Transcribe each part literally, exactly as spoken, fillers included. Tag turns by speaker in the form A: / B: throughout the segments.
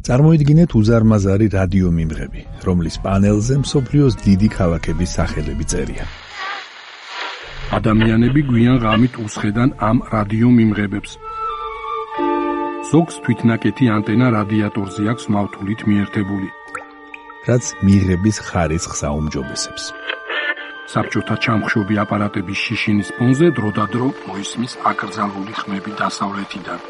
A: წარმოიდგინეთ უზარმაზარი რადიო მიმღები, რომლის პანელზე მსოფლიოს დიდი ქალაქების სახელები წერია.
B: ადამიანები გვიან ღამით უსხედან ამ რადიო მიმღებებს. ზოგს თვითნაკეთი ანტენა რადიატორზე აქვს მავთულით მიერთებული,
A: რაც მიღების ხარისხს აუმჯობესებს.
B: საბჭოთა ჩამხშობი აპარატების შიშინის ფონზე დროდადრო მოისმის აკრძალული ხმები დასავლეთიდან.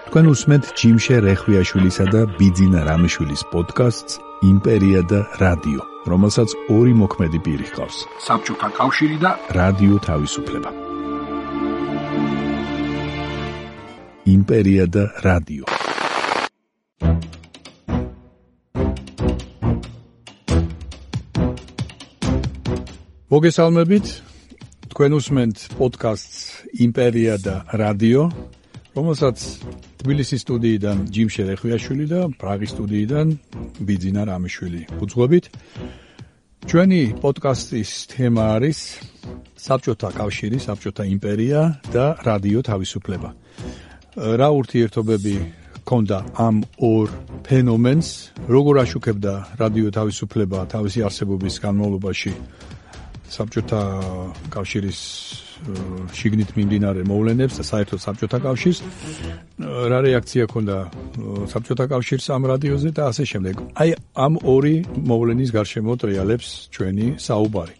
A: თქვენ უსმენთ ჯიმშე რეხვიაშვილისა და ბიძინა რამიშვილის პოდკასტს იმპერია და რადიო, რომელსაც ორი მოქმედი პირი ჰყავს.
B: საბჭოთა კავშირი და
A: რადიო თავისუფლება. იმპერია და რადიო. მოგესალმებით, თქვენ უსმენთ პოდკასტს იმპერია და რადიო, რომელსაც თბილისის სტუდიიდან ჯიმშე რეხვიაშვილი და პრაღის სტუდიიდან ბიძინა რამიშვილი უძღვებით. ჩვენი პოდკასტის თემა არის საბჭოთა კავშირი, საბჭოთა იმპერია და რადიო თავისუფლება. რა ურთიერთობები ჰქონდა ამ ორ ფენომენს, როგორ აშუქებდა რადიო თავისუფლება თავისი არსებობის განმავლობაში საბჭოთა კავშირის შიგნით მიმდინარე მოვლენებს და საერთოდ საბჭოთა კავშირს, რა რეაქცია ჰქონდა საბჭოთა კავშირს ამ რადიოზე და ასე შემდეგ. აი ამ ორი მოვლენის გარშემო ტრიალებს ჩვენი საუბარი.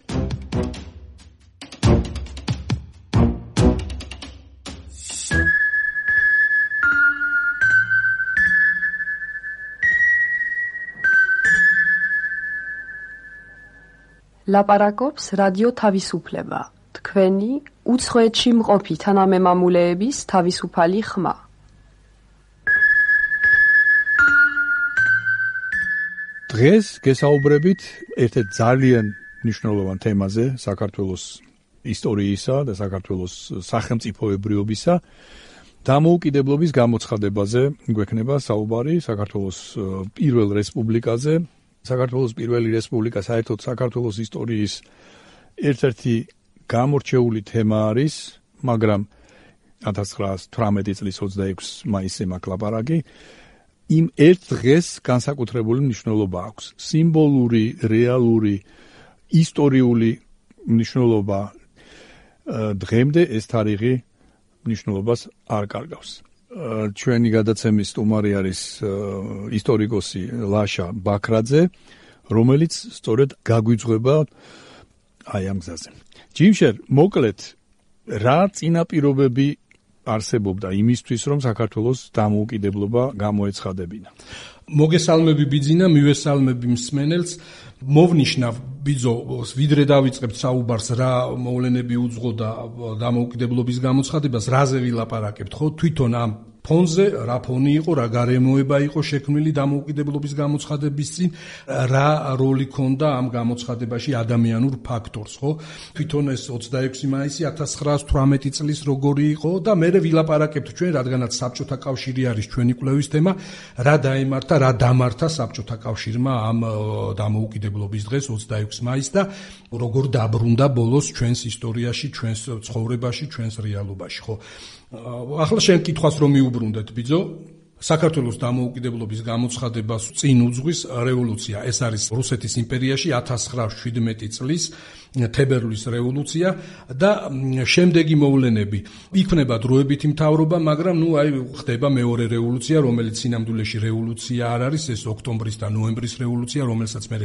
C: ლაპარაკობს რადიო თავისუფლება, თქვენი უცხოეთში მყოფი თანამემამულეების თავისუფალი ხმა.
A: დღეს გესაუბრებით ერთ-ერთ ძალიან მნიშვნელოვან თემაზე, საქართველოს ისტორიისა და საქართველოს სახელმწიფოებრიობისა დამოუკიდებლობის გამოცხადებაზე გვექნება საუბარი, საქართველოს პირველ რესპუბლიკაზე. საქართველოს პირველი რესპუბლიკა საერთოდ საქართველოს ისტორიის ერთ-ერთი გამორჩეული თემა არის, მაგრამ ათას ცხრაასი თვრამეტი წლის ოცდაექვსი მაისზე მაქვს ლაპარაკი. იმ ერთ დღეს განსაკუთრებული მნიშვნელობა აქვს. სიმბოლური, რეალური, ისტორიული მნიშვნელობა. დღემდე ეს თარიღი მნიშვნელობას არ კარგავს. ჩვენი გადაცემის სტუმარი არის ისტორიკოსი ლაშა ბაქრაძე, რომელიც სწორედ გაგვიძღვება აი ამ გზაზე. ჯიმშერ, მოკლედ, რა წინაპირობები არსებობდა იმისთვის, რომ საქართველოს დამოუკიდებლობა გამოეცხადებინა?
B: მოგესალმები ბიძინა, მივესალმები მსმენელს. მოვნიშნავ ბიძო, ვიდრე დავიწყებთ საუბარს, რა მოვლენები უძღოდა დამოუკიდებლობის გამოცხადებას, რაზე ვილაპარაკებთ, ხო? თვითონ ამ ფონზე, რა ფონი იყო, რა გარემოება იყო შექმნილი დამოუკიდებლობის გამოცხადების წინ, რა როლი ჰქონდა ამ გამოცხადებაში ადამიანურ ფაქტორს, ხო? თვითონ ეს ოცდაექვსი მაისი ათას ცხრაასი თვრამეტი წლის როგორი იყო და მე ვილაპარაკებთ ჩვენ, რადგანაც საბჭოთა კავშირი არის ჩვენი კვლევის თემა, რა დაემართა, რა დამართა საბჭოთა კავშირმა ამ დამოუკიდებლობის დღეს ოცდაექვსი მაისს და როგორ დაბრუნდა ბოლოს ჩვენს ისტორიაში, ჩვენს ცხოვრებაში, ჩვენს რეალობაში, ხო? ახლა შენ კითხვას რომ მიუბრუნდეთ ბიძო, საქართველოს დამოუკიდებლობის გამოცხადებას წინ უძღვის რევოლუცია. ეს არის რუსეთის იმპერიაში ათას ცხრაასი შვიდმეტი წლის თებერვლის რევოლუცია და შემდეგი მოვლენები. იქმნება დროებითი მთავრობა, მაგრამ ნუ აი ხდება მეორე რევოლუცია, რომელიც სინამდვილეში რევოლუცია არ არის, ეს ოქტომბრის და ნოემბრის რევოლუცია, რომელსაც მე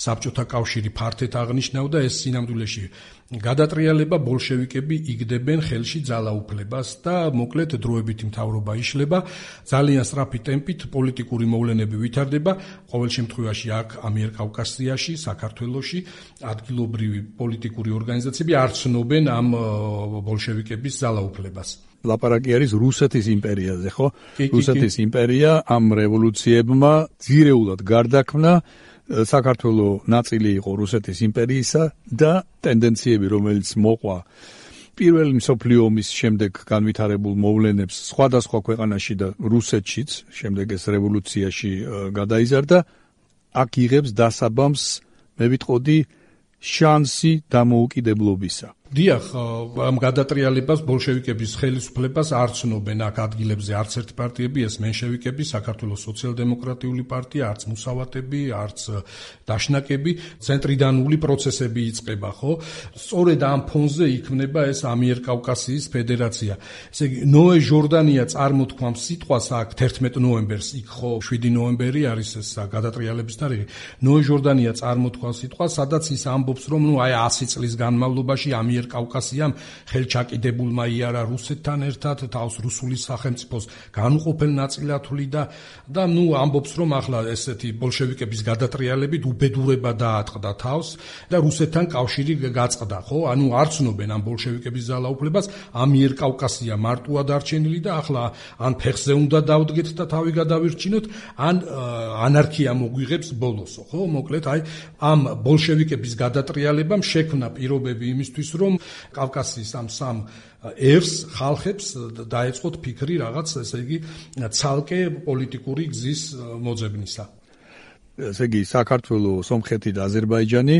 B: საბჭოთა კავშირი ფართედ აღნიშნავდა, ეს სინამდვილეში გადატრიალება, ბოლშევიკები იგდებენ ხელში ძალაუფლებას და მოკლედ დროებითი მთავრობა იშლება, ძალიან სწრაფი ტემპით პოლიტიკური მოვლენები ვითარდება, ყოველ შემთხვევაში აქ ამიერკავკასიაში, საქართველოში ადგილობრივი პოლიტიკური ორგანიზაციები არ ცნობენ ამ ბოლშევიკების ძალაუფლებას.
A: ლაპარაკი არის რუსეთის იმპერიაზე, ხო? რუსეთის იმპერია ამ რევოლუციებმა ძირეულად გარდაქმნა, საქართველოს ნაწილი იყო რუსეთის იმპერიისა და ტენდენციები, რომელიც მოყვა პირველი მსოფლიო ომის შემდეგ განვითარებულ მოვლენებს სხვადასხვა ქვეყანაში და რუსეთშიც, შემდეგ ეს რევოლუციაში გადაიზარდა, აქ იღებს დასაბამს, მე ვიტყოდი, შანსი დამოუკიდებლობისა.
B: დიახ, ამ გადატრიალებას ბოლშევიკების ხელისუფლებას არ ცნობენ აქ ადგილებზე არც ერთი პარტიები, ეს მენშევიკები, საქართველოს სოციალ-დემოკრატიული პარტია, არც მუსავატები, არც დაშნაკები, ცენტრიდანული პროცესები იწყება, ხო? სწორედ ამ ფონზე იქმნება ეს ამიერკავკასიის ფედერაცია. ესე იგი, ნოე ჟორდანია წარმოთქვამს სიტყვას აქ თერთმეტ ნოემბერს, იქ ხო შვიდი ნოემბერი არის ეს გადატრიალების თარიღი. ნოე ჟორდანია წარმოთქვამს სიტყვას, სადაც ის ამბობს, რომ ნუ აი ასი წლის განმავლობაში ამიერკავკასიამ ხელჩაკიდებულმა იარა რუსეთთან ერთად თავს რუსული სახელმწიფოს განუყოფელ ნაწილად და და ნუ ამბობს, რომ ახლა ესეთი ბოლშევიკების გადატრიალებით უბედურება დაატყდა თავს და რუსეთთან კავშირი გაწყდა, ხო? ანუ არ ცნობენ ამ ბოლშევიკების ძალაუფლებას, ამიერკავკასია მარტოა დარჩენილი და ახლა ან ფეხზე უნდა დავდგეთ და თავი გადავირჩინოთ, ან ანარქია მოგვიღებს ბოლოსო, ხო? მოკლედ აი ამ ბოლშევიკების გადატრიალებამ შექმნა პირობები იმისთვის, რომ კავკასიის ამ სამ ერს ხალხებს დაეწყოთ ფიქრი რაღაც, ესე იგი, ცალკე პოლიტიკური გზის მოძებნისა.
A: ესე იგი, საქართველოს, სომხეთი და აზერბაიჯანი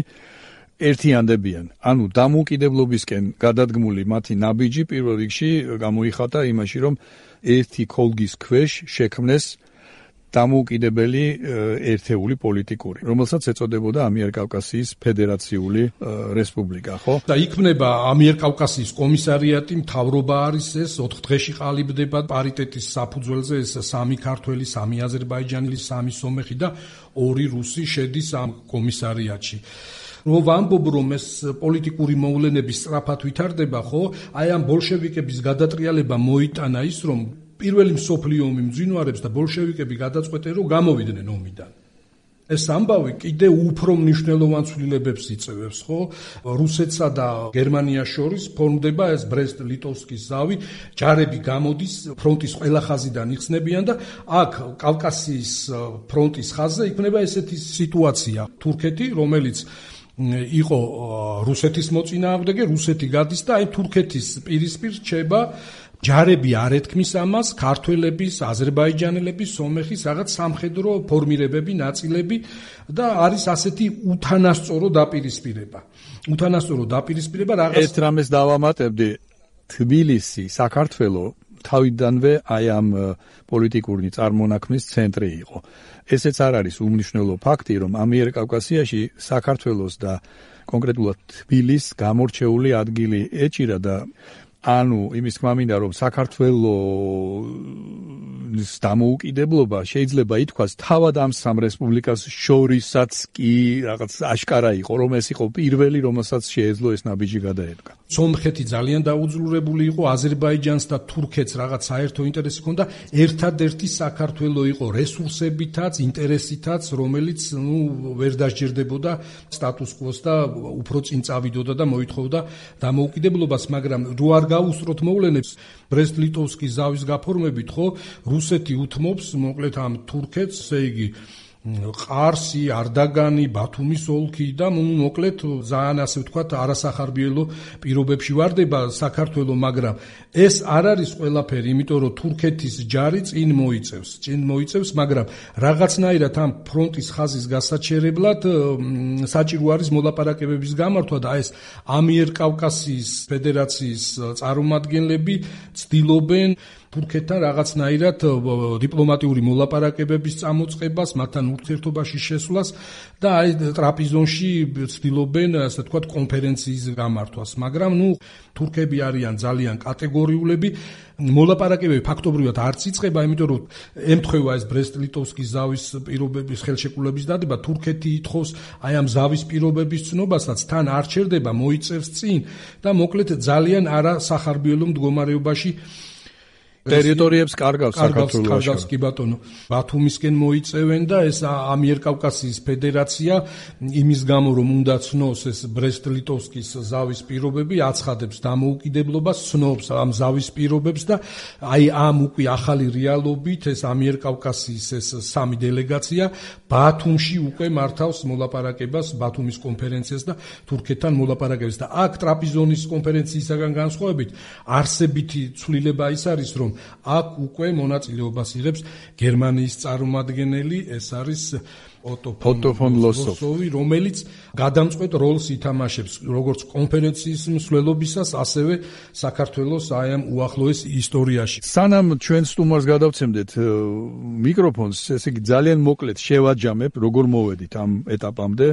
A: ერთიანდებიან. ანუ დამოუკიდებლობისკენ გადადგმული მათი ნაბიჯი პირველ რიგში გამოიხატა იმაში, რომ ერთი ქოლგის ქვეშ შექმნეს დამოუკიდებელი ერთეული პოლიტიკური, რომელსაც ეწოდებოდა ამიერკავკასიის ფედერაციული რესპუბლიკა, ხო?
B: და იქმნება ამიერკავკასიის კომისარიატი, მთავრობა არის ეს, ოთხ დღეში ყალიბდება პარიტეტის საფუძველზე, ეს სამი ქართველი, სამი აზერბაიჯანელი, სამი სომეხი და ორი რუსი შედის ამ კომისარიატში. რომ ვამბობ, რომ ეს პოლიტიკური მოვლენები სწრაფად ვითარდება, ხო? აი ამ ბოლშევიკების გადატრიალება მოიტანა ის, რომ პირველი მსოფლიო ომი მძინვარებს და ბოლშევიკები გადაწყვეტენ, რომ გამოვიდნენ ომიდან. ეს ამბავი კიდე უფრო მნიშვნელოვან ცვლილებებს იწევს, ხო? რუსეთსა და გერმანიას შორის ფორმდება ეს ბრესტ-ლიტოვსკის ზავი, ჯარები გამოდის ფრონტის ყველა ხაზიდან იხსნებიან და აქ კავკასიის ფრონტის ხაზზე იქნება ესეთი სიტუაცია. თურქეთი, რომელიც იყო რუსეთის მოწინააღმდეგე, რუსეთი გადის და აი თურქეთის პირისპირ რჩება ჯარები არ ეთქმის ამას, ქართველების, აზერბაიჯანელების, სომეხის რაღაც სამხედრო ფორმირებები, ნაწილები და არის ასეთი უთანასწორო დაპირისპირება. უთანასწორო დაპირისპირება რაღაც
A: ერთ რამეს დავამატებდი, თბილისი, საქართველო თავიდანვე აი ამ პოლიტიკური წარმონაქმნის ცენტრი იყო. ესეც არ არის უმნიშვნელო ფაქტი, რომ ამიერკავკასიაში საქართველოს და კონკრეტულად თბილისს გამორჩეული ადგილი ეჭირა და ანუ იმის თქმა მინდა, რომ საქართველოს დამოუკიდებლობა შეიძლება ითქვას თავად ამ სამ რესპუბლიკას შორისაც კი რაღაც აშკარა იყო, რომ ეს იყო პირველი, რომელსაც შეეძლო ეს ნაბიჯი გადაედგა.
B: სომხეთი ძალიან დაუძლურებული იყო, აზერბაიჯანს და თურქეთს რაღაც საერთო ინტერესი ჰქონდა, ერთადერთი საქართველო იყო რესურსებითაც, ინტერესითაც, რომელიც ნუ ვერ დასჯერდებოდა სტატუს კვოს და უფრო წინ წავიდოდა და მოითხოვდა დამოუკიდებლობას, მაგრამ რო არ გაუსწროთ მოვლენებს ბრესტ-ლიტოვსკის ზავის გაფორმებით, ხო, რუსეთი უთმობს მოკლედ ამ თურქეთს, ესე იგი ყარსი, არდაგანი, ბათუმის ოლქი და მოკლედ ძალიან ასე ვთქვათ არასახარბიელო პირობებში ვარდება საქართველო, მაგრამ ეს არ არის ყველაფერი, იმიტომ რომ თურქეთის ჯარი წინ მოიწევს, წინ მოიწევს, მაგრამ რაღაცნაირად ამ ფრონტის ხაზის გასაჩერებლად საჭირო არის მოლაპარაკებების გამართვა და ეს ამიერკავკასიის ფედერაციის წარმომადგენლები ცდილობენ თურქეთთან რაღაცნაირად დიპლომატიური მოლაპარაკებების წამოწყებას, მათთან ურთიერთობაში შესვლას და აი ტრაპიზონში ცდილობენ, ასე ვთქვათ, კონფერენციის გამართვას, მაგრამ ნუ თურქები არიან ძალიან კატეგორიულები, მოლაპარაკებები ფაქტობრივად არც იწყება, იმიტომ რომ ემთხვევა ეს ბრესტ-ლიტოვსკის ზავის პირობების ხელშეკრულების დადება, თურქეთი ითხოვს აი ამ ზავის პირობების ცნობასაც, თან არ ჩერდება, მოიწევს წინ და მოკლედ ძალიან არასახარბიელო მდგომარეობაში
A: ტერიტორიებს კარგავს საქართველოს.
B: კარგავს კი ბატონო. ბათუმისკენ მოიწევენ და ეს ამიერკავკასიის ფედერაცია იმის გამო რომ უნდა ცნოს ეს ბრესტ-ლიტოვსკის ზავის პირობები, აცხადებს დამოუკიდებლობას, ცნობს ამ ზავის პირობებს და აი ამ უკვე ახალი რეალობით ეს ამიერკავკასიის ეს სამი დელეგაცია ბათუმში უკვე მართავს მოლაპარაკებას, ბათუმის კონფერენციას და თურქეთთან მოლაპარაკებს და აქ ტრაპიზონის კონფერენციისაგან განსხვავებით არსებითი ცვლილება ის არის, რომ აქ უკვე მონაწილეობას იღებს გერმანიის წარმომადგენელი, ეს არის
A: Otto von Lossow,
B: რომელიც გადამწყვეტ როლს ითამაშებს როგორც კონფერენციის მსვლელობისას, ასევე საქართველოს აი ამ უახლოეს ისტორიაში.
A: სანამ ჩვენ სტუმარს გადავცემდეთ მიკროფონს, ესე იგი ძალიან მოკლედ შევაჯამებ, როგორ მოვედით ამ ეტაპამდე.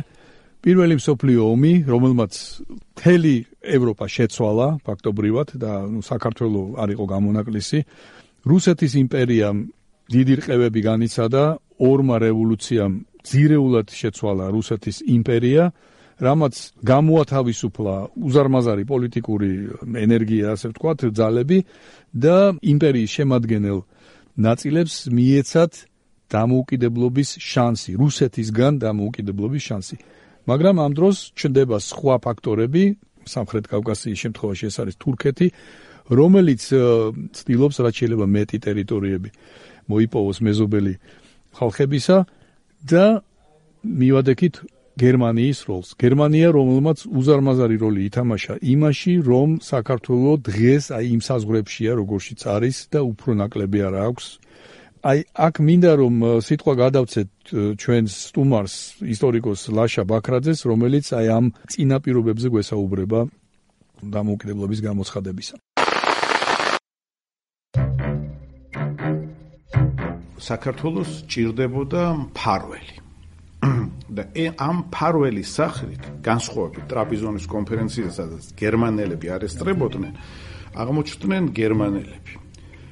A: პირველი მსოფლიო ომი, რომელმაც მთელი ევროპა შეცვალა ფაქტობრივად და ნუ საქართველოს არ იყო გამონაკლისი. რუსეთის იმპერიამ დიდი რყევები განიცადა, ორმა რევოლუციამ ძირეულად შეცვალა რუსეთის იმპერია, რამაც გამოათავისუფლა უზარმაზარი პოლიტიკური ენერგია, ასე ვთქვათ, ძალები და იმპერიის შემადგენელ ნაწილებს მიეცათ დამოუკიდებლობის შანსი, რუსეთისგან დამოუკიდებლობის შანსი. მაგრამ ამ დროს ჩნდება სხვა ფაქტორები, სამხრეთ კავკასიის შემთხვევაში ეს არის თურქეთი, რომელიც ცდილობს რაც შეიძლება მეტი ტერიტორიები მოიპოვოს მეზობელი ხალხებისა და მივადექით გერმანიის როლს. გერმანია, რომელმაც უზარმაზარი როლი ითამაშა იმაში, რომ საქართველოს დღეს აი იმ საზღვრებშია, როგორშიც არის და უფრო ნაკლები არ აქვს. აი აქ მინდა რომ სიტყვა გადავცეთ ჩვენს სტუმარს, ისტორიკოს ლაშა ბაქრაძეს, რომელიც აი ამ წინაპირობებზე გვესაუბრება დამოუკიდებლობის გამოცხადებისა.
D: საქართველოს ჭირდებოდა მფარველი. და ამ მფარველის სახით, განსხვავებით ტრაპიზონის კონფერენციისა, სადაც გერმანელები არესტრებოდნენ, აღმოჩნდნენ გერმანელები.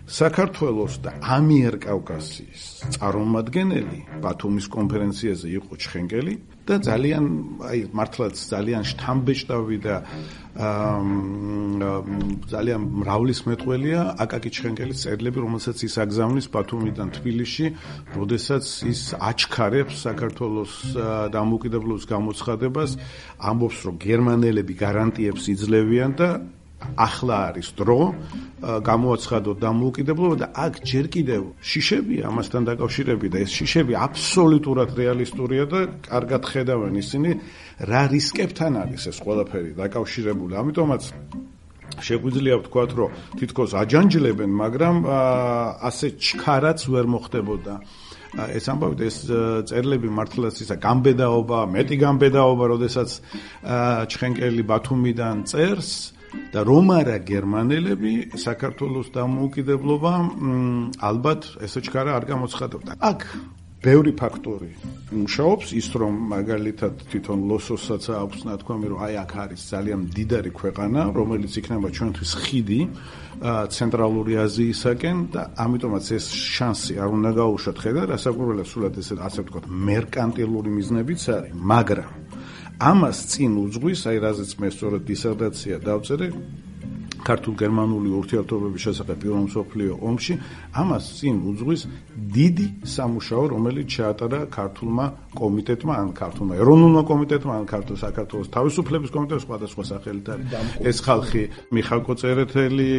D: საქართველოს და ამიერკავკასიის წარმომადგენელი ბათუმის კონფერენციაზე იყო ჩხენკელი და ძალიან აი მართლაც ძალიან შთამბეჭდავი და ძალიან მრავლისმეტყველია აკაკი ჩხენკელის წერილები, რომელსაც ის აგზავნის ბათუმიდან თბილისში, როდესაც ის აჩქარებს საქართველოს დამოუკიდებლობის გამოცხადებას, ამბობს, რომ გერმანელები გარანტიებს იძლევიან და ახლა არის დრო გამოაცხადოთ დამოუკიდებლობა და აქ ჯერ კიდევ შიშებია ამასთან დაკავშირებით და ეს შიშები აბსოლუტურად რეალისტურია და კარგად ხედავენ ისინი რა რისკებთან არის ეს ყველაფერი დაკავშირებული. ამიტომაც შეგვიძლია ვთქვათ, რომ თითქოს აჯანჯლებენ, მაგრამ ასე ჩქარაც ვერ მოხდებოდა. ეს ამბავი ეს წერილები მართლაც ისა გამბედაობა, მეტი გამბედაობა, როდესაც ჩხენკელი ბათუმიდან წერს და რომ არა გერმანელები საქართველოს დამოუკიდებლობა ალბათ ესე ჩქარა არ გამოცხადებდა. აქ ბევრი ფაქტორი მუშაობს, ის რომ მაგალითად თვითონ ლოსოსაც აქვს ნათქვამი, რომ აი აქ არის ძალიან მდიდარი ქვეყანა, რომელიც იქნება ჩვენთვის ხიდი ცენტრალური აზიისაკენ და ამიტომაც ეს შანსი არ უნდა გაუშვათ ხედა, რასაკვირველია სულად ესე ასე ვთქვათ, მერკანტილური მიზნებიც არის, მაგრამ ამას წინ უძღვის, აი რაზეც მე სწორედ დისერტაცია დავწერე ქართულ-გერმანული ურთიერთობების შესახებ პირველ მსოფლიო ომში, ამას წინ უძღვის დიდი სამუშაო, რომელიც ჩაატარა ქართულმა კომიტეტმა, ან ქართულმა ეროვნულმა კომიტეტმა, ან ქართულ საქართველოს თავისუფლების კომიტეტს, სხვადასხვა სახელით არის. ეს ხალხი მიხალ კოწერეთელი,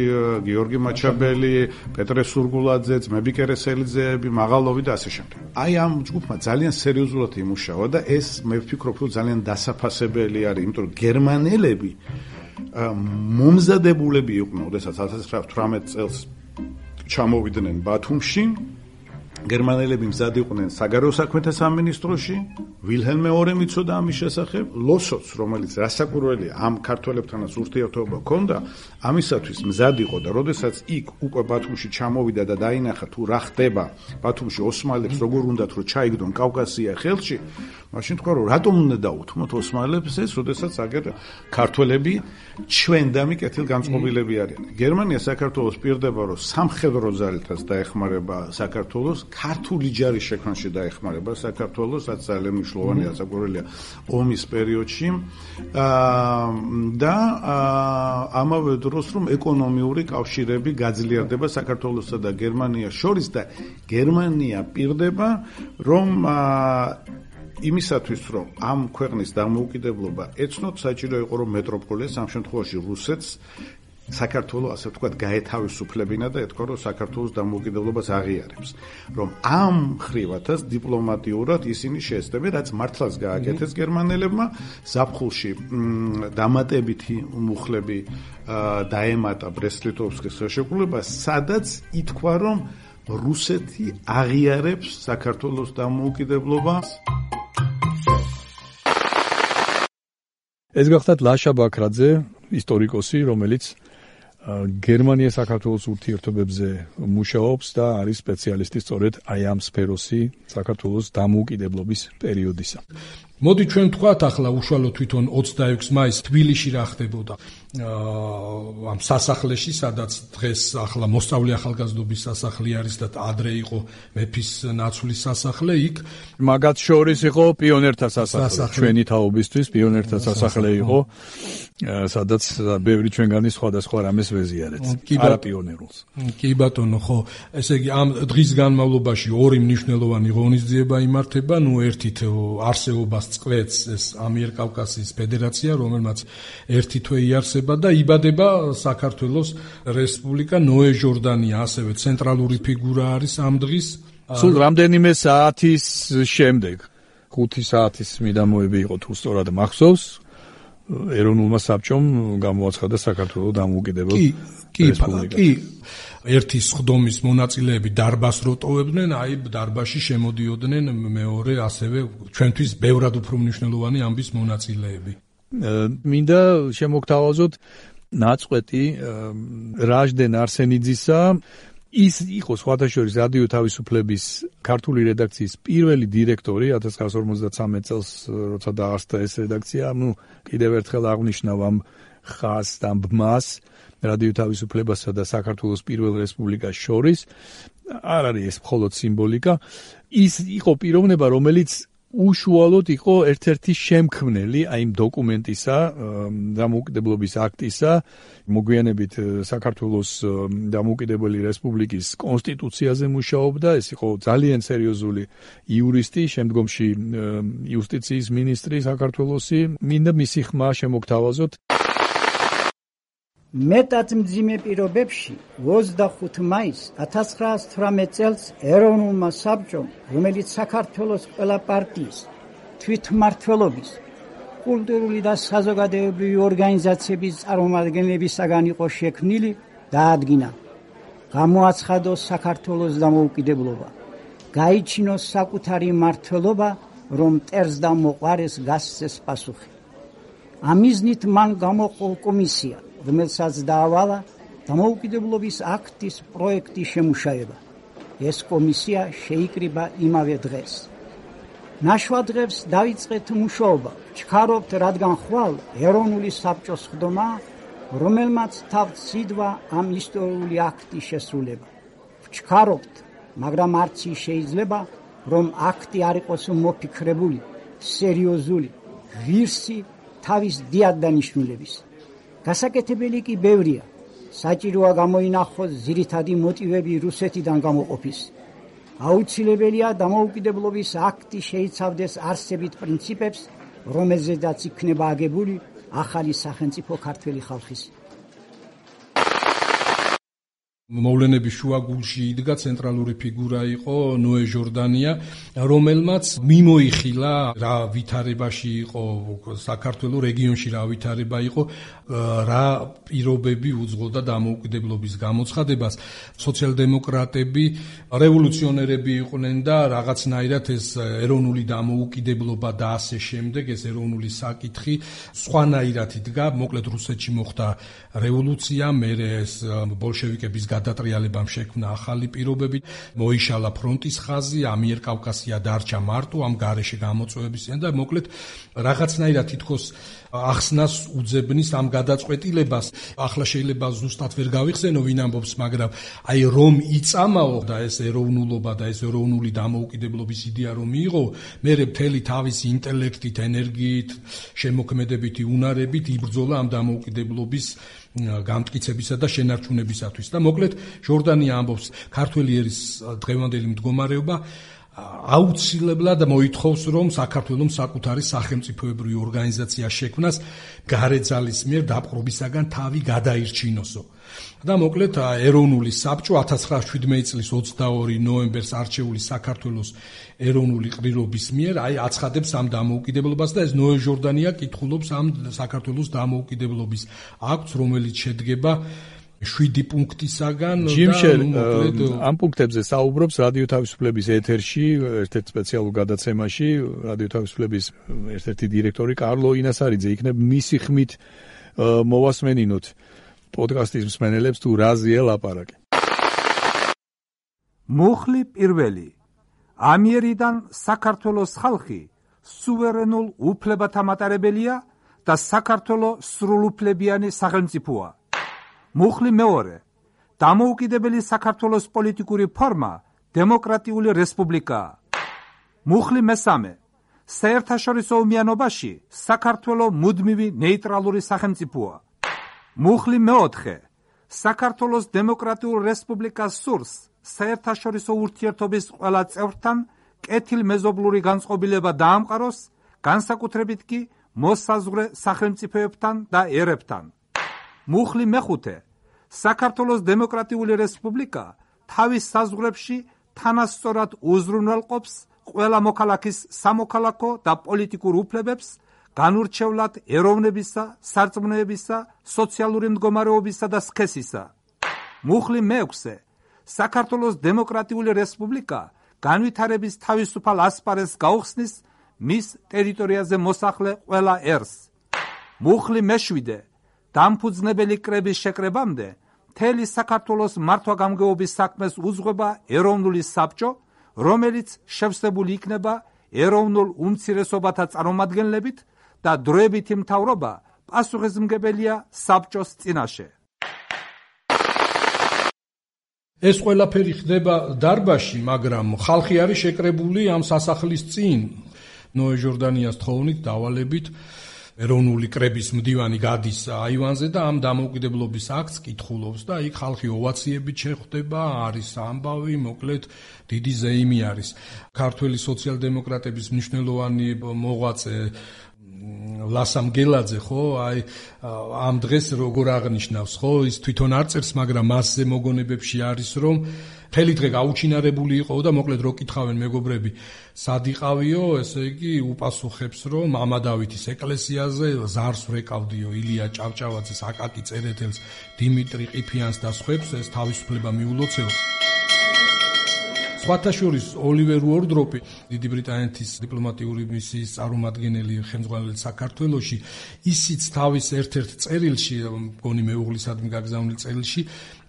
D: გიორგი მაჩაბელი, პეტრე სურგულაძე, ძმები კერესელიძეები, მაღალოვი და ასე შემდეგ. აი ამ ჯგუფმა ძალიან სერიოზულად იმუშავა და ეს მე ვფიქრობ, რომ ძალიან დასაფასებელი არის, იმიტომ რომ გერმანელები მომზადებულები იყვნენ, როდესაც ათას ცხრაათასი წელს ჩამოვიდნენ ბათუმში. გერმანელები მზად იყვნენ საგარეო საქმეთა სამინისტროში, ვილჰელმ მეორე მიცოდა ამის შესახებ, ლოსოც, რომელიც რასაკვირველია ამ ქართველებთანაც ურთიერთობა ჰქონდა, ამისათვის მზად იყო და როდესაც იქ უკვე ბათუმში ჩამოვიდა და დაინახა თუ რა ხდება ბათუმში ოსმალებს, როგორ უნდათ რომ ჩაიგდონ კავკასია ხელში, მაშინ თქვა რომ რატომ უნდა დაუთმოთ ოსმალებს ეს, როდესაც აგერ ქართველები ჩვენდამი კეთილგანწყობილები არიან. გერმანია საქართველოს პირდება, რომ სამხედრო ძალითაც დაეხმარება საქართველოს, ქართული ჯარის შექმნაში დაეხმარება საქართველოს, რაც ძალიან მნიშვნელოვანია საკურველია ომის პერიოდში და ამავე დროს რომ ეკონომიური კავშირები გაძლიერდება საქართველოსა და გერმანიას შორის და გერმანია პირდება რომ იმისათვის რომ ამ ქვეყნის დამოუკიდებლობა ეცნოთ, საჭირო იყო რომ მეტროპოლიას ამ შემთხვევაში რუსეთს საქართველოს ასე ვთქვათ გაეთავისუფლებინა და ეთქვა რომ საქართველოს დამოუკიდებლობას აღიარებს რომ ამ ხრივათაც დიპლომატიურად ისინი შეესწრებენ რაც მართლაც გააკეთეს გერმანელებმა ზაფხულში დამატებითი მუხლები დაემატა ბრესტ-ლიტოვსკის ხელშეკრულებას სადაც ითქვა რომ რუსეთი აღიარებს საქართველოს დამოუკიდებლობას.
A: ეს გახლავთ ლაშა ბაქრაძე, ისტორიკოსი, რომელიც გერმანია საქართველოს ურთიერთობებზე მუშაობს და არის სპეციალისტი სწორედ აი ამ სფეროსი საქართველოს დამოუკიდებლობის პერიოდისა.
B: მოდი ჩვენ ვთქვათ ახლა უშუალოდ თვითონ ოცდაექვსი მაისს თბილისში რა ხდებოდა ამ სასახლეში, სადაც დღეს ახლა მოსწავლე ახალგაზრდობის სასახლე არის და ადრე იყო მეფის ნაცვლის სასახლე, იქ
A: მაგათ შორის იყო პიონერთა სასახლე, ჩვენი თაობისთვის პიონერთა სასახლე იყო, სადაც ბევრი ჩვენგანი სხვადასხვა რამეს ვეზიარეთ, არა პიონერულს.
B: კი ბატონო, ხო, ესე იგი ამ დღის განმავლობაში ორი მნიშვნელოვანი ღონისძიება იმართება, ნუ ერთით არსებობას წყვეტს ეს ამიერკავკასიის ფედერაცია, რომელმაც ერთი თვე იარსება და იბადება საქართველოს რესპუბლიკა. ნოე ჟორდანია ასევე ცენტრალური ფიგურა არის ამ დღის.
A: სულ რამდენიმე საათის შემდეგ, ხუთი საათის მიდამოები იყო თუ სწორად მახსოვს, ეროვნულმა საბჭომ გამოაცხადა საქართველოს დამოუკიდებელ რესპუბლიკას.
B: კი, ერთი სხდომის მონაწილეები დარბას როტოვებდნენ, აი დარბაში შემოდიოდნენ მეორე ასევე ჩვენთვის ბევრად უფრო მნიშვნელოვანი ამბის მონაწილეები.
A: მინდა შემოგთავაზოთ ნაწყვეტი რაჟდენ არსენიძისა, ის იყო სხვათა შორის რადიო თავისუფლების ქართული რედაქციის პირველი დირექტორი ათას ცხრაასი ორმოცდათვრამეტ წელს, როცა დაარსდა ეს რედაქცია. ნუ კიდევ ერთხელ აღნიშნავ ამ ხაზს და ბმას რადიო თავისუფლებასა და საქართველოს პირველ რესპუბლიკას შორის. არ არის ეს მხოლოდ სიმბოლიკა, ის იყო პიროვნება, რომელიც უშუალოდ იყო ერთ-ერთი შემქმნელი აი იმ დოკუმენტისა, დამოუკიდებლობის აქტისა, მოგვიანებით საქართველოს დამოუკიდებელი რესპუბლიკის კონსტიტუციაზე მუშაობდა, ეს იყო ძალიან სერიოზული იურისტი, შემდგომში იუსტიციის მინისტრი საქართველოსი. მინდა მისი ხმა შემოგთავაზოთ.
E: მეტად მძიმე პირობებში ოცდახუთი მაისს ათას ცხრაასი თვრამეტ წელს ეროვნულმა საბჭომ, რომელიც საქართველოს ყველა პარტიის, თვითმმართველობის, კულტურული და საზოგადოებრივი ორგანიზაციების წარმომადგენლებისაგან იყო შექმნილი, დაადგინა, გამოაცხადოს საქართველოს დამოუკიდებლობა, გაიჩინოს საკუთარი მმართველობა, რომ მტერს და მოყვარეს გასცეს პასუხი. ამ მიზნით მან გამოყო კომისია, რომელსაც დაავალა დამოუკიდებლობის აქტის პროექტის შემუშავება. ეს კომისია შეიკრიბა იმავე დღეს. ნაშვადღებს დაიწყეთ მუშაობა. ვჩქარობთ, რადგან ხვალ ეროვნული საბჭოს ხდომა, რომელმაც თავთ სიდვა ამ ისტორიული აქტის შესრულება. ვჩქარობთ, მაგრამ არც ის შეიძლება, რომ აქტი არ იყოს მოფიქრებული, სერიოზული, ღირსი თავის დიად დანიშნულების. გასაკეთებელი კი ბევრია. საჭიროა გამოინახოს ძირითადი მოტივები რუსეთიდან გამოყოფის. აუცილებელია დამოუკიდებლობის აქტი შეიცავდეს არსებით პრინციპებს, რომელზედაც იქნება აგებული ახალი სახელმწიფო ქართველი ხალხის.
B: მოვლენების შუაგულში იდგა ცენტრალური ფიგურა იყო ნოე ჟორდანია, რომელმაც მიმოიხილა რა ვითარებაში იყო საქართველოს რეგიონში, რა ვითარება იყო, რა პირობები უძღოდა დამოუკიდებლობის გამოცხადებას. სოციალ-დემოკრატები, რევოლუციონერები იყვნენ და რაღაცნაირად ეს ეროვნული დამოუკიდებლობა და ასე შემდეგ, ეს ეროვნული საკითხი სხვანაირად იდგა. მოკლედ რუსეთში მოხდა რევოლუცია, მერე ეს ბოლშევიკების გადატრიალებამ შექმნა ახალი პირობები, მოიშალა ფრონტის ხაზი, ამიერკავკასია დარჩა მარტო ამ გარეშე გამოწვევებისგან და მოკლედ რაღაცნაირად თითქოს ახსნას უძებნის ამ გადაწყვეტილებას. ახლა შეიძლება ზუსტად ვერ გავიხსენო ვინ ამბობს, მაგრამ აი რომ იწამაო და ეს ეროვნულობა და ეს ეროვნული დამოუკიდებლობის იდეა რომ მიიღო, მერე მთელი თავისი ინტელექტით, ენერგიით, შემოქმედებითი უნარებით იბრძოლა ამ დამოუკიდებლობის გამტკიცებისა და შენარჩუნებისათვის. და მოკლედ ჟორდანია ამბობს, ქართველი ერის დღევანდელი მდგომარეობა აუცილებლად მოითხოვს, რომ საქართველოს საკუთარი სახელმწიფოებრივი ორგანიზაცია შექმნას გარეძალის მიერ დაპყრობისაგან თავი გადაირჩინოსო. და მოკლედ ეროვნული საბჭო ათას ცხრაასი შვიდმეტი წლის ოცდაორი ნოემბერს არჩეული საქართველოს ეროვნული ყრილობის მიერ აი აცხადებს ამ დამოუკიდებლობას და ეს ნოე ჟორდანია კითხულობს ამ საქართველოს დამოუკიდებლობის აქტს, რომელიც შედგება შვიდი პუნქტისაგან
A: და მოკლედ ამ პუნქტებზე საუბრობს რადიო თავისუფლების ეთერში ერთ-ერთ სპეციალურ გადაცემაში რადიო თავისუფლების ერთ-ერთი დირექტორი კარლო ინასარიძე. იქნებ მისი ხმით მოვასმენინოთ პოდკასტის მსმენელებს თუ რაზეა ლაპარაკი.
F: მუხლი პირველი. ამიერიდან საქართველოს ხალხი სუვერენულ უფლებათა მატარებელია და საქართველოს სრულუფლებიანი სახელმწიფოა. მუხლი მეორე. დამოუკიდებელი საქართველოს პოლიტიკური ფორმა დემოკრატიული რესპუბლიკაა. მუხლი მესამე. საერთაშორისო ომიანობაში საქართველოს მუდმივი ნეიტრალური სახელმწიფოა. მუხლი მეოთხე. საქართველოს დემოკრატიულ რესპუბლიკას სურს საერთაშორისო ურთიერთობის ყველა წევრთან კეთილმეზობლური განწყობილება დაამყაროს, განსაკუთრებით კი მოსაზღვრე სახელმწიფოებთან და ერებთან. მუხლი მეხუთე. საქართველოს დემოკრატიული რესპუბლიკა თავის საზღვრებში თანასწორად უზრუნველყოფს ყველა მოქალაქის სამოქალაქო და პოლიტიკურ უფლებებს, განურჩევლად ეროვნებისა, სარწმუნოებისა, სოციალური მდგომარეობისა და სქესისა. მუხლი მეექვსე. საქართველოს დემოკრატიული რესპუბლიკა განვითარების თავისუფალ ასპარეზს გაუხსნის მის ტერიტორიაზე მოსახლე ყველა ერს. მუხლი მეშვიდე. დამფუძნებელი კრების შეკრებამდე მთელი საქართველოს მართვა-გამგეობის საქმეს უძღვება ეროვნული საბჭო, რომელიც შევსებული იქნება ეროვნულ უმცირესობათა წარმომადგენლებით და დროებითი მთავრობა პასუხისმგებელია საბჭოს წინაშე.
B: ეს ყველაფერი ხდება დარბაზში, მაგრამ ხალხი არის შეკრებული ამ სასახლის წინ. ნოე ჟორდანიას თხოვნით დავალებით ეროვნული კრების მდივანი გადის აივანზე და ამ დამოუკიდებლობის აქტს კითხულობს და იქ ხალხი ოვაციებით შეხვდება, არის ამბავი, მოკლედ დიდი ზეიმი არის. ქართველი სოციალ-დემოკრატების მნიშვნელოვანი მოღვაწე ლასამ გელაძე ხო, აი ამ დღეს როგორ აღნიშნავს, ხო, ის თვითონ არ წერს, მაგრამ მასზე მოგონებებში არის, რომ მთელი დღე გაუჩინარებული იყო და მოკლედ რო კითხავენ მეგობრები, სად იყავიო, ესე იგი უპასუხებს, რომ მამა დავითის ეკლესიაზე ზარს ვეკავდიო ილია ჭავჭავაძეს, აკაკი წერეთელს, დიმიტრი ყიფიანს და სხვებს, ეს თავისუფლება მიულოცეო. სხვათა შორის ოლივერ უორდროპი, დიდი ბრიტანეთის დიპლომატიური მისიის წარმომადგენელი ხელმძღვანელი საქართველოში, ისიც თავის ერთ-ერთ წერილში, მგონი მეუღლისადმი გაგზავნილ წერილში,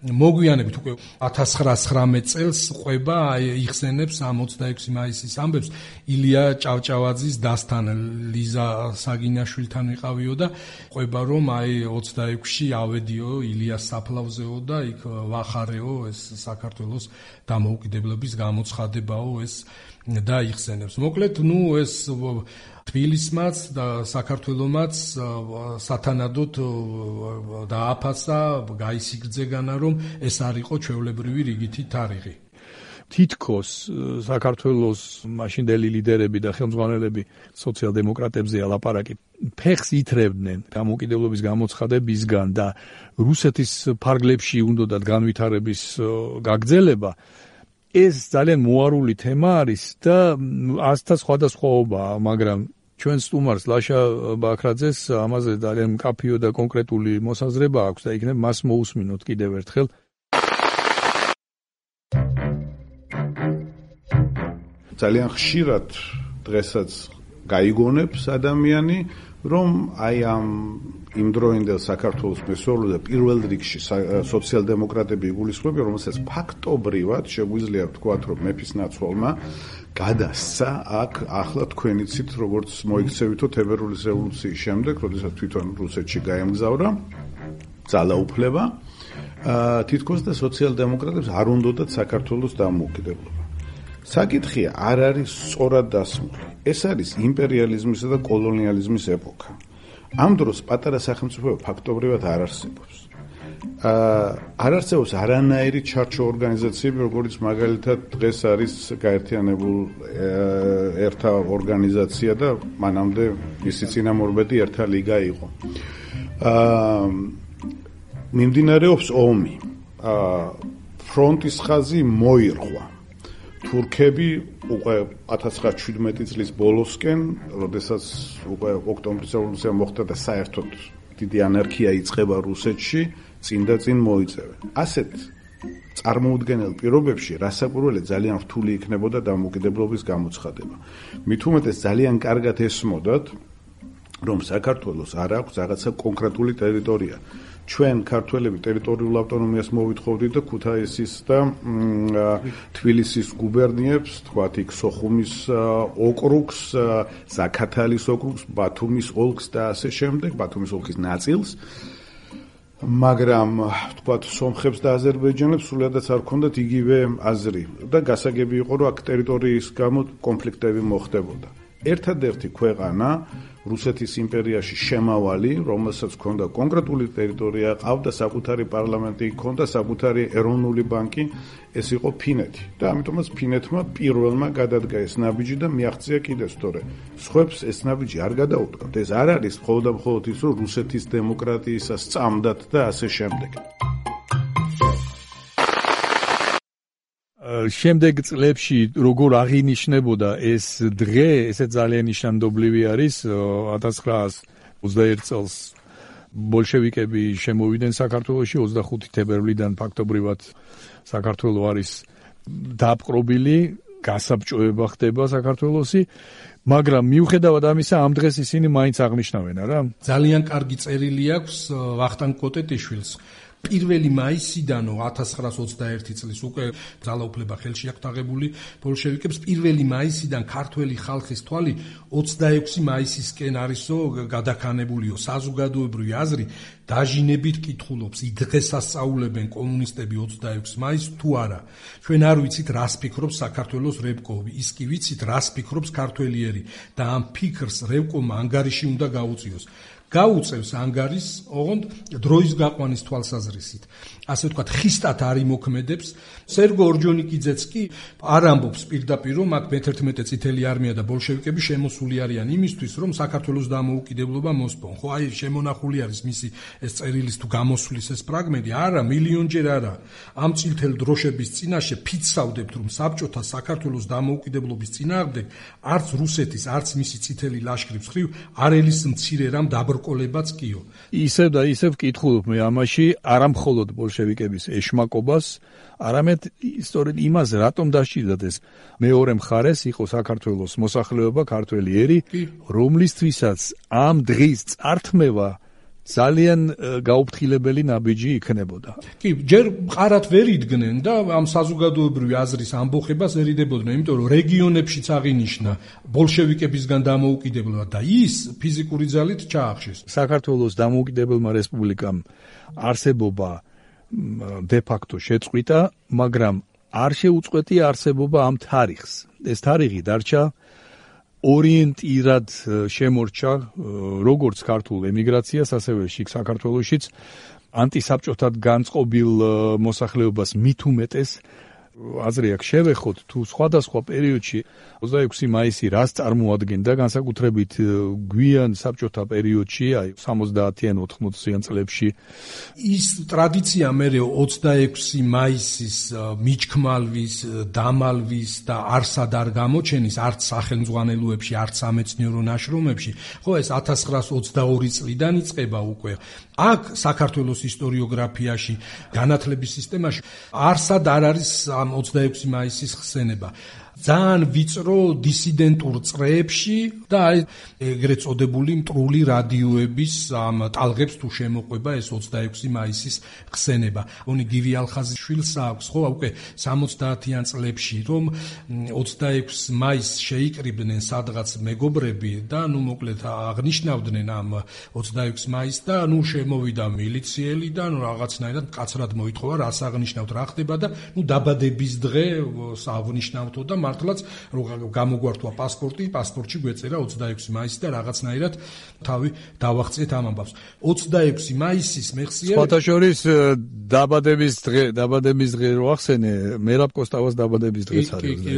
B: მოგვიანებით უკვე ათას ცხრაასი ცხრამეტ წელს ყვება იხსენებს ამ ოცდაექვსი მაისის ამბებს ილია ჭავჭავაძის დასთან ლიზა საგინაშვილთან ვიყავიო და ყვება რომ აი ოცდაექვსში ავედიო ილიას საფლავზეო და იქ ვახარეო ეს საქართველოს დამოუკიდებლობის გამოცხადებაო ეს და იხსენებს. მოკლედ, ნუ ეს თბილისმაც და საქართველომაც სათანადოდ დააფასა, გაისიგრძეგანა, რომ ეს არ იყო ჩვეულებრივი რიგითი თარიღი.
A: თითქოს საქართველოს მაშინდელი ლიდერები და ხელმძღვანელები სოციალ-დემოკრატებზე ალაპარაკი ფეხს ითრევდნენ დამოუკიდებლობის გამოცხადებისგან და რუსეთის ფარგლებში უნდათ განვითარების გაგრძელება. ეს ძალიან მოარული თემა არის და ასთა სხვადასხვაობაა, მაგრამ ჩვენ სტუმარს ლაშა ბაქრაძეს ამაზე ძალიან მკაფიო და კონკრეტული მოსაზრება აქვს და იქნებ მას მოусმინოთ კიდევ ერთხელ.
D: ძალიან ხშირად დღესაც გაიგონებს ადამიანი, რომ აი ამ იმდროინდელ საქართველოს მესვეულ და პირველ რიგში სოციალ-დემოკრატები იგულისხმებიან, რომელსაც ფაქტობრივად შეგვიძლია ვთქვათ, რომ მეფის ნაცვალმა გადასცა აქ ახლა თქვენი ცით, როგორც მოიქცევითო თებერვლის რევოლუციის შემდეგ, როდესაც თვითონ რუსეთში გაემგზავრა ძალაუფლება, თითქოს და სოციალ-დემოკრატებს არ უნდათ საქართველოს დამოუკიდებლობა. საკითხია არ არის სწორად დასმული. ეს არის იმპერიალიზმისა და კოლონიალიზმის ეპოქა. ამ დროს პატარა სახელმწიფოება ფაქტობრივად არ არსებობს. არ არსებობს არანაირი ჩარჩო ორგანიზაციები, როგორც მაგალითად დღეს არის გაერთიანებულ ერთა ორგანიზაცია და მანამდე მისი წინამორბედი ერთა ლიგა იყო. მიმდინარეობს ომი. ფრონტის ხაზი მოირღვა. თურქები უკვე ათას ცხრაასი შვიდმეტი წლის ბოლოსკენ, როდესაც უკვე ოქტომბრის რევოლუცია მოხდა და საერთოდ დიდი ანარქია იწყება რუსეთში, წინ და წინ მოიწევენ. ასეთ წარმოუდგენელ პირობებში რასაკვირველია ძალიან რთული იქნებოდა დამოუკიდებლობის გამოცხადება. მით უმეტეს ძალიან კარგად ესმოდათ, რომ საქართველოს არ აქვს რაღაცა კონკრეტული ტერიტორია. ჩვენ ქართველები ტერიტორიულ ავტონომიას მოვითხოვდით და ქუთაისის და თბილისის გუბერნიებს, თქვათ იქ სოხუმის ოკრუგს, ზაქათალის ოკრუგს, ბათუმის ოლქს და ასე შემდეგ, ბათუმის ოლქის ნაწილს. მაგრამ თქვათ სომხებს და აზერბაიჯანელებს სულადაც არ ქონდათ იგივე აზრი და გასაგები იყო, რომ აქ ტერიტორიის გამო კონფლიქტები მოხდებოდა. ერთადერთი ქვეყანა რუსეთის იმპერიაში შემავალი, რომელსაც ჰქონდა კონკრეტული ტერიტორია, ყავდა საკუთარი პარლამენტი, ჰქონდა საკუთარი ეროვნული ბანკი, ეს იყო ფინეთი. და ამიტომაც ფინეთმა პირველმა გადადგა ეს ნაბიჯი და მიაღწია კიდეც, თორე სხვებს ეს ნაბიჯი არ გადაუტყავთ. ეს არ არის მხოლოდ და მხოლოდ ის, რომ რუსეთის დემოკრატიისას წამდათ და ასე შემდეგ.
A: შემდეგ წლებში როგორ აღინიშნებოდა ეს დღე, ესე ძალიან ნიშანდობლივი არის. ათას ცხრაასი ოცდაერთი წელს ბოლშევიკები შემოვიდნენ საქართველოში, ოცდახუთი თებერვლიდან ფაქტობრივად საქართველო არის დაპყრობილი, გასაბჭოება ხდება საქართველოსი, მაგრამ მიუხედავად ამისა ამ დღეს ისინი მაინც აღნიშნავენ, არა?
B: ძალიან კარგი წერილი აქვს ვახტანგ კოტეტიშვილს. პირველი მაისიდანო ათას ცხრაასი ოცდაერთი წლის უკვე ძალაუფლება ხელში აქვს აღებული ბოლშევიკებს. პირველი მაისიდან ქართველი ხალხის თვალი ოცდაექვსი მაისისკენ არისო გადაქანებულიო. საზოგადოებრივი აზრი დაჟინებით კითხულობს, დღეს ასწავლებენ კომუნისტები ოცდაექვსი მაისს თუ არა. ჩვენ არ ვიცით რას ფიქრობს საქართველოს რევკოვი, ის კი ვიცით რას ფიქრობს ქართველიერი და ამ ფიქრს რევკოვმა ანგარიში უნდა გაუწიოს. გაუწევს ანგარის, ოღონდ დროის გაყვანის თვალსაზრისით. ასე ვთქვათ, ხისტად არ იმოქმედებს. სერგო ორჯონიკიძეც კი არ ამბობს პირდაპირ, რომ აქ მეთერთმეტე წითელი არმია და ბოლშევიკები შემოსული არიან იმისთვის, რომ საქართველოს დამოუკიდებლობა მოსპონ. ხო, აი შემონახული არის მისი ეს წერილის თუ გამოსვლის ეს ფრაგმენტი. არა, მილიონჯერ არა. ამ წითელ დროშების წინაშე ფიცავდებთ, რომ საბჭოთა საქართველოს დამოუკიდებლობის წინააღმდეგ არც რუსეთის, არც მისი წითელი ლაშქრის მხრივ არ ელის მცირე რამ დაბრკოლებაც კიო.
A: ისევ და ისევ ვკითხულობ მე ამაში არა მხოლოდ ბოლშევიკების ეშმაკობას, არამედ სწორედ იმას, რატომ დასჭირდათ ეს მეორე მხარეს იყო საქართველოს მოსახლეობა, ქართველი ერი, რომლისთვისაც ამ დღის წართმევა ძალიან გაუფრთხილებელი ნაბიჯი იქნებოდა.
B: კი, ჯერ მყარად ვერ იდგნენ და ამ საზოგადოებრივი აზრის ამბოხებას ერიდებოდნენ, იმიტომ რომ რეგიონებშიც აღინიშნა ბოლშევიკებისგან დამოუკიდებლობა და ის ფიზიკური ძალით ჩაახშეს.
A: საქართველოს დამოუკიდებელმა რესპუბლიკამ არსებობა de facto შეწყვიტა, მაგრამ არ შეუწყვეტია არსებობა ამ თარიღს. ეს თარიღი დარჩა ორიენტირად შემორჩა როგორც ქართულ ემიგრაციას, ასევე შიგ საქართველოშიც ანტისაბჭოთად განწყობილ მოსახლეობას მით უმეტეს აზრი აქვს შევეხოთ თუ სხვადასხვა პერიოდში ოცდაექვსი მაისი რას წარმოადგენდა, განსაკუთრებით გვიან საბჭოთა პერიოდში, აი სამოცდაათიან ოთხმოციან წლებში.
B: ის ტრადიცია მერე ოცდაექვსი მაისის მიჩქმალვის, დამალვის და არსად არ გამოჩენის არც სახელმძღვანელოებში, არც სამეცნიერო ნაშრომებში, ხო ეს ათას ცხრაასი ოცდაორი წლიდან იწყება უკვე. აქ საქართველოს ისტორიოგრაფიაში, განათლების სისტემაში არსად არ არის ამ ოცდაექვსი მაისის ხსენება. ძალიან ვიწრო დისიდენტურ წრეებში და აი ეგრეთ წოდებული მტრული რადიოების ამ ტალღებს თუ შემოყვება ეს ოცდაექვსი მაისის ხსენება. ონი გივი ალხაზიშვილს აქვს ხო უკვე სამოცდაათიან წლებში რომ ოცდაექვსი მაისს შეიკრიბნენ სადღაც მეგობრები და ნუ მოკლედ აღნიშნავდნენ ამ ოცდაექვსი მაისს და ნუ შემოვიდა მილიციელი და ნუ რაღაცნაირად კაცრად მოითხოვა რას აღნიშნავთ რა ხდება და ნუ დაბადების დღე აღნიშნავთო და მართლაც გამოგვართვა პასპორტი, პასპორტში გვეწერა ოცდაექვსი მაისი და რაღაცნაირად თავი დავაღწიეთ ამ ამბავს. ოცდაექვსი მაისის მეხსიერება
A: სხვათა შორის დაბადების დღე, დაბადების დღე რო ახსენე, მერაბ კოსტავას დაბადების დღეც არის.
B: კი, კი,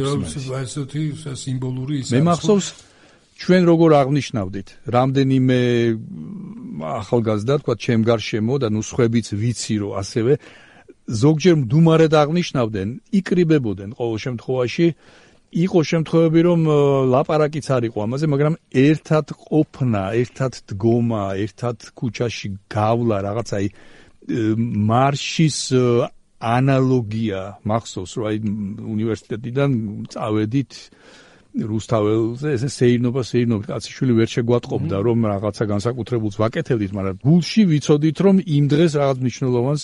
B: ესეთი სიმბოლური ის
A: მე მახსოვს ჩვენ როგორ აღნიშნავდით, რამდენიმე ახალგაზრდა, თქვა, ჩემ გარშემო და ნუ სხვებიც ვიცი, რომ ასევე ზოგჯერ მდუმარედ აღნიშნავდნენ, იკრიბებოდნენ ყოველ შემთხვევაში. იყო შემთხვევები, რომ ლაპარაკიც არ იყო ამაზე, მაგრამ ერთად ყოფნა, ერთად დგომა, ერთად ქუჩაში გავლა, რაღაც აი მარშის ანალოგია მახსოვს, რომ აი უნივერსიტეტიდან წავედით რუსთაველზე, ესე სეირნობა, სეირნობა, კაციშვილი ვერ შეგვატყობდა, რომ რაღაცა განსაკუთრებულს ვაკეთებდით, მაგრამ გულში ვიცოდით, რომ იმ დღეს რაღაც მნიშვნელოვანს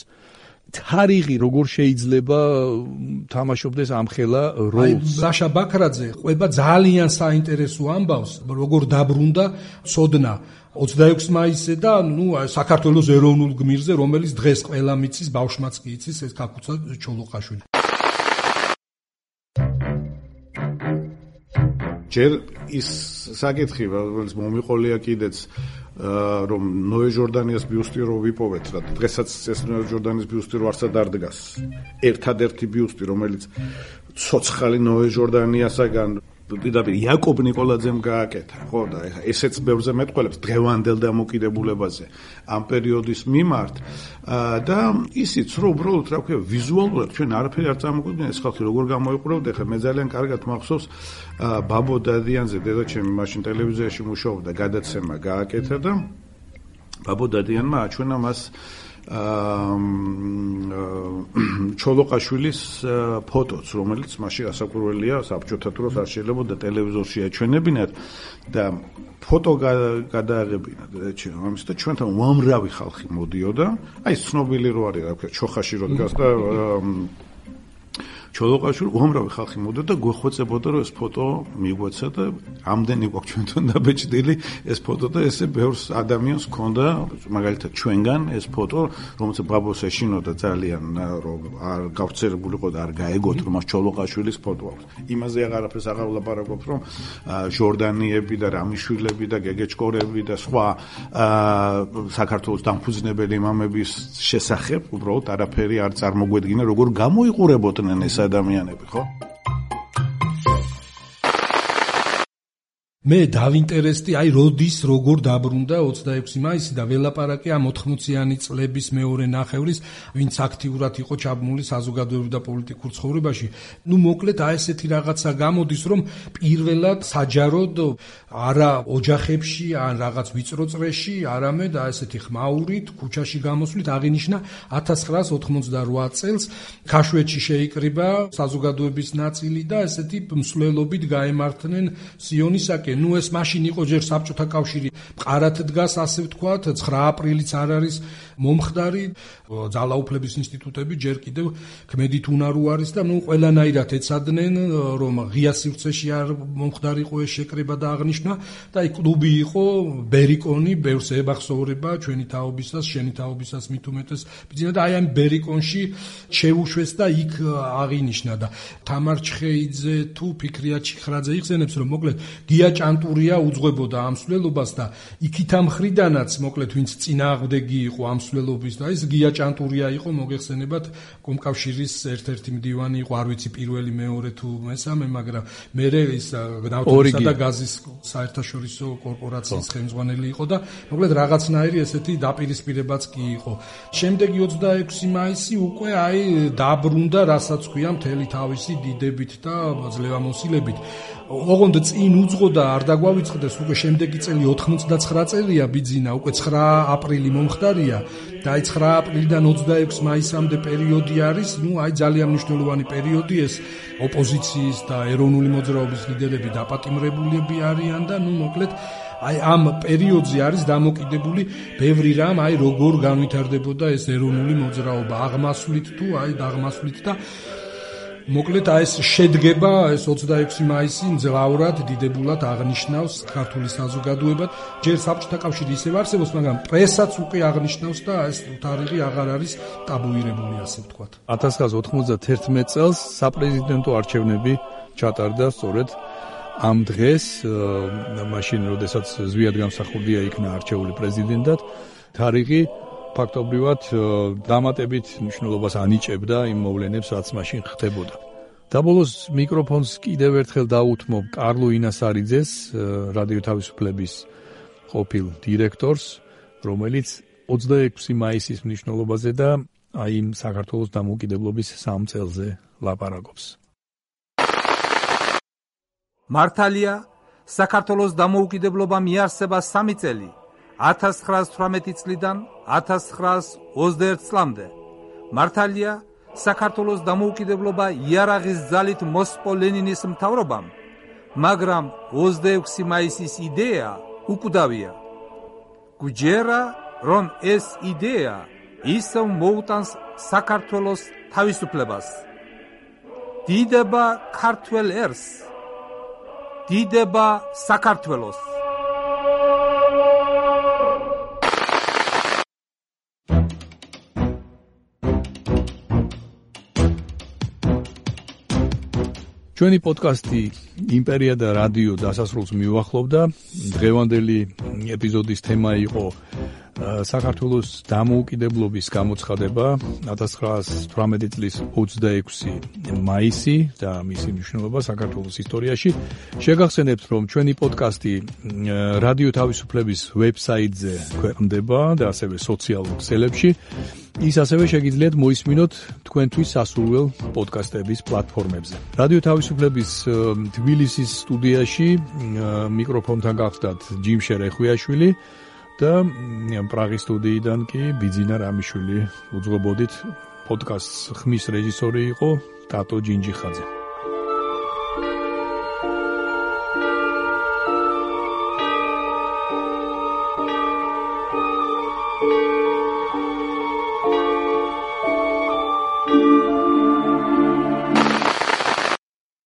A: თარიღი როგორ შეიძლება თამაშობდეს ამხელა როლს.
B: ლაშა ბაქრაძე ყვება ძალიან საინტერესო ამბავს, როგორ დაბრუნდა ცოდნა ოცდაექვსი მაისზე და ნუ საქართველოს ეროვნულ გმირზე, რომელიც დღეს ყველა მიცის, ბავშვმაც კი იცის, ეს ქაქუცა ჩოლოყაშვილი.
D: ჯერ ის საკითხი, რომელიც მომიყოლია კიდეც რომ ნოე ჟორდანიას ბიუსტი რო ვიპოვეთ რა დღესაც ეს ნოე ჟორდანიის ბიუსტი რო არსად არ დგას ერთადერთი ბიუსტი რომელიც ცოცხალი ნოე ჟორდანიასაგან პირდაპირ იაკობ ნიკოლაძემ გააკეთა ხო და ესეც ბევრზე მეტყველებს დღევანდელ დამოკიდებულებაზე ამ პერიოდის მიმართ და ისიც რომ უბრალოდ რა ქვია ვიზუალურად ჩვენ არაფერი არ წარმოგვიდგენთ ეს ხალხი როგორ გამოიყურებდა ხა მე ძალიან კარგად მახსოვს ბაბო დადიანზე დედაჩემი მაშინ ტელევიზიაში მუშაობდა გადაცემა გააკეთა და ბაბო დადიანმა აჩვენა მას ჩოლოყაშვილის ფოტოც, რომელიც მაშინ ასაკურველია საბჭოთა დროს არ შეიძლება ტელევიზორში აჩვენებინათ და ფოტო გადააღებინა ამის და ჩვენთან უამრავი ხალხი მოდიოდა, აი ცნობილი რო არის რა ქვია, ჩოხაში რო დგას და ჩოლოყაშვილი უამრავი ხალხი მოდიოდა და გვეხვეწებოდა რომ ეს ფოტო მიგვეცა და ამდენი გვაქვს ჩვენთან დაბეჭდილი ეს ფოტო და ესე ბევრს ადამიანს ჰქონდა მაგალითად ჩვენგან ეს ფოტო რომელსაც ბაბოს ეშინოდა ძალიან რომ არ გავრცელებულიყო და არ გაეგოთ რომ მას ჩოლოყაშვილის ფოტო აქვს იმაზე აღარაფერს აღარ ვლაპარაკობ რომ ჟორდანიები და რამიშვილები და გეგეჭკორები და სხვა საქართველოს დამფუძნებელი მამების შესახებ უბრალოდ არაფერი არ წარმოგვედგინა როგორ გამოიყურებოდნენ ეს ადამიანები, ხო?
B: მე დავინტერესდი, აი როდის როგორ დაბრუნდა ოცდაექვსი მაისი და ველაპარაკე ამ ოთხმოციანი წლების მეორე ნახევრის, ვინც აქტიურად იყო ჩაბმული საზოგადოებრივ და პოლიტიკურ ცხოვრებაში. ნუ მოკლედ აი ესეთი რაღაცა გამოდის, რომ პირველად საჯაროდ არა ოჯახებში, ან რაღაც ვიწრო წრეში, არამედ აი ესეთი ხმაურით, ქუჩაში გამოსვლით აღინიშნა ათას ცხრაას ოცდაოთხ წელს ქაშვეთში შეიკრიბა საზოგადოების ნაწილი და ესეთი მსვლელობით გაემართნენ სიონისაკენ ნუ ეს მაშინ იყო ჯერ საბჭოთა კავშირი მყარად დგას ასე ვთქვათ ცხრა აპრილიც არ არის მომხდარი ძალაუფლების ინსტიტუტები ჯერ კიდევ ქმედით უნარო არის და ნუ ყველანაირად ეცადნენ რომ ღია სივრცეში არ მომხდარიყო ეს შეკრება და აღნიშნა და აი კლუბი იყო ბერიკონი ბევრს ებახსოვრება ჩვენი თაობისას შენი თაობისას მით უმეტეს ბიძინა და აი ამ ბერიკონში შეუშვეს და იქ აღინიშნა და თამარ ჩხეიძე თუ ფიქრია ჩიხრაძე იხსენებს რომ მოკლედ გია ჭანტურია უძღვებოდა ამ მსვლელობას და იქით ამ ხრიდანაც მოკლედ ვინც წინააღმდეგი იყო ამ მსვლელობის და ის გია ჭანტურია იყო მოგეხსენებათ კომკავშირის ერთ-ერთი მდივანი იყო არ ვიცი პირველი მეორე თუ მესამე მაგრამ მე ის ნავთობისა და გაზის საერთაშორისო კორპორაციის ხელმძღვანელი იყო და მოკლედ რაღაცნაირი ესეთი დაპირისპირებაც კი იყო შემდეგი ოცდაექვსი მაისი უკვე აი დაბრუნდა რასაც ქვია მთელი თავისი დიდებით და ძლევამოსილებით ოღონდ წინ უძღოდა არ დაგვავიწყდეს უკვე შემდეგი წელი ოთხმოცდაცხრა წელია ბიძინა უკვე ცხრა აპრილი მომხდარია და აი ცხრა აპრილიდან ოცდაექვსი მაისამდე პერიოდი არის ნუ აი ძალიან მნიშვნელოვანი პერიოდი ეს ოპოზიციის და ეროვნული მოძრაობის ლიდერები დაპატიმრებულები არიან და ნუ მოკლედ აი ამ პერიოდზე არის დამოკიდებული ბევრი რამ აი როგორ განვითარდებოდა ეს ეროვნული მოძრაობა აღმასვლით თუ აი დაღმასვლით და მოკლედ აი ეს შედგება ეს ოცდაექვსი მაისი მძლავრად დიდებულად აღნიშნავს ქართული საზოგადოება ჯერ საბჭოთა კავშირი ისევ არსებობს მაგრამ პრესაც უკვე აღნიშნავს და ეს თარიღი აღარ არის ტაბუირებული ასე ვთქვათ
A: ათას ცხრაას ოცდაათერთმეტ წელს საპრეზიდენტო არჩევნები ჩატარდა სწორედ ამ დღეს, მაშინ როდესაც ზვიად გამსახურდია იქნა არჩეული პრეზიდენტად, თარიღი ფაქტობრივად დამატებით მნიშვნელობას ანიჭებდა იმ მოვლენებს, რაც მაშინ ხდებოდა. და ბოლოს მიკროფონს კიდევ ერთხელ დაუთმობ კარლო ინასარიძეს, რადიო თავისუფლების ყოფილ დირექტორს, რომელიც ოცდაექვსი მაისის მნიშვნელობაზე და აი იმ საქართველოს დამოუკიდებლობის სამ წელზე ლაპარაკობს.
F: მართალია, საქართველოს დამოუკიდებლობამ იარსება სამი წელი, ათას ცხრაას თვრამეტი წლიდან ათას ცხრაას ოცდაერთ წლამდე. მართალია, საქართველოს დამოუკიდებლობა იარაღის ძალით მოსპო ლენინის მთავრობამ, მაგრამ ოცდაექვსი მაისის იდეა უკვდავია. გვჯერა, რომ ეს იდეა ისევ მოუტანს საქართველოს თავისუფლებას. დიდება ქართველ ერს, დიდება საქართველოს.
A: ჩვენი პოდკასტი იმპერია და რადიო დასასრულს მიუახლოვდა. დღევანდელი ეპიზოდის თემა იყო საქართველოს დამოუკიდებლობის გამოცხადება ათას ცხრაას თვრამეტი წლის ოცდაექვსი მაისი და მისი მნიშვნელობა საქართველოს ისტორიაში. შეგახსენებთ, რომ ჩვენი პოდკასტი რადიო თავისუფლების ვებსაიტზე ქვეყნდება და ასევე სოციალურ ქსელებში. ის ასევე შეგიძლიათ მოისმინოთ თქვენთვის სასურველ პოდკასტების პლატფორმებზე. რადიო თავისუფლების თბილისის სტუდიაში მიკროფონთან გახდათ ჯიმშე რეხვიაშვილი და პრაღის სტუდიიდან კი ბიძინა რამიშვილი. უძღვებოდით, პოდკასტს ხმის რეჟისორი იყო ტატო ჯინჯიხაძე.